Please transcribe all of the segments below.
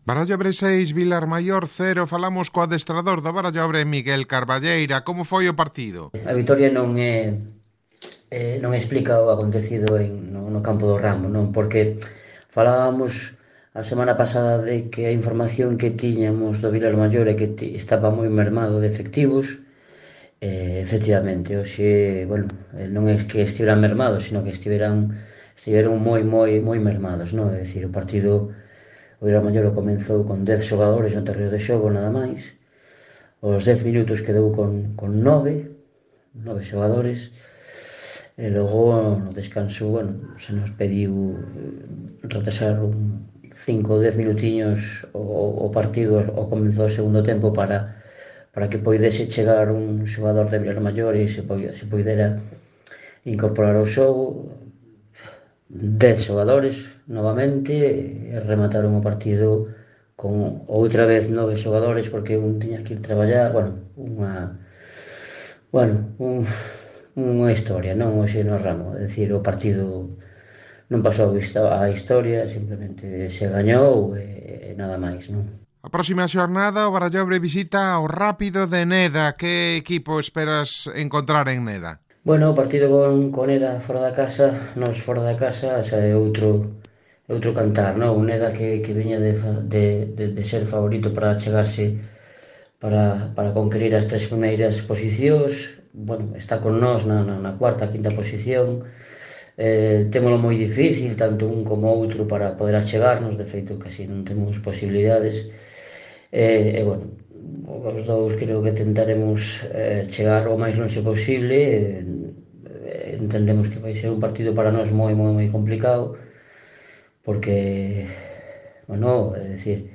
Barallobre 6, Vilarmaior 0, falamos co adestrador do Barallobre, Miguel Carballeira. Como foi o partido? A vitoria non explica o acontecido no campo do Ramo, non? Porque falábamos a semana pasada de que a información que tiñamos do Vilarmaior é que estaba moi mermado de efectivos. Efectivamente, hoxe, bueno, non é que estiveran mermados, sino que estiveron moi mermados, non? É dicir, o partido, o Vilarmaior comenzou con 10 xogadores no terreo de xogo, nada máis. Os 10 minutos quedou con 9 xogadores. E logo no descanso, bueno, se nos pediu retrasar 5 ou 10 minutiños o partido ao comezo do segundo tempo para que poidese chegar un xogador de Vilarmaior e se poidera incorporar ao xogo. 10 xogadores novamente e remataron o partido con outra vez 9 xogadores porque un tiña que ir traballar, unha historia, non? Hoxe no Ramo, é dicir, o partido non pasou a historia, simplemente se gañou e nada máis, non? A próxima xornada o Barallobre visita o Rápido de Neda. Que equipo esperas encontrar en Neda? Bueno, o partido con Eda fora da casa, nos fora da casa, xa é outro cantar, non? Un Eda que viña de ser favorito para chegarse para conquerir as tres primeiras posicións. Bueno, está con nós na cuarta, quinta posición. Témolo moi difícil, tanto un como outro, para poder achegarnos, de feito casi non temos posibilidades. Bueno, os dous creo que tentaremos chegar o máis longe posible. Entendemos que vai ser un partido para nós moi complicado, porque, bueno, é dicir,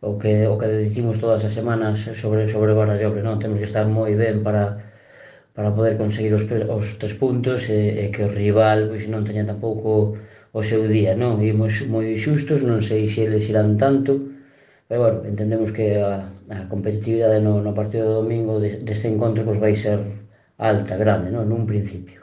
o que dicimos todas as semanas sobre Barallobre, non? Temos que estar moi ben para poder conseguir os 3 puntos e que o rival pois non teña tampouco o seu día, non? Imos moi xustos, non sei se eles irán tanto, pero bueno, entendemos que a competitividade no partido do domingo deste encontro pois vai ser alta, grande, non? Nun principio.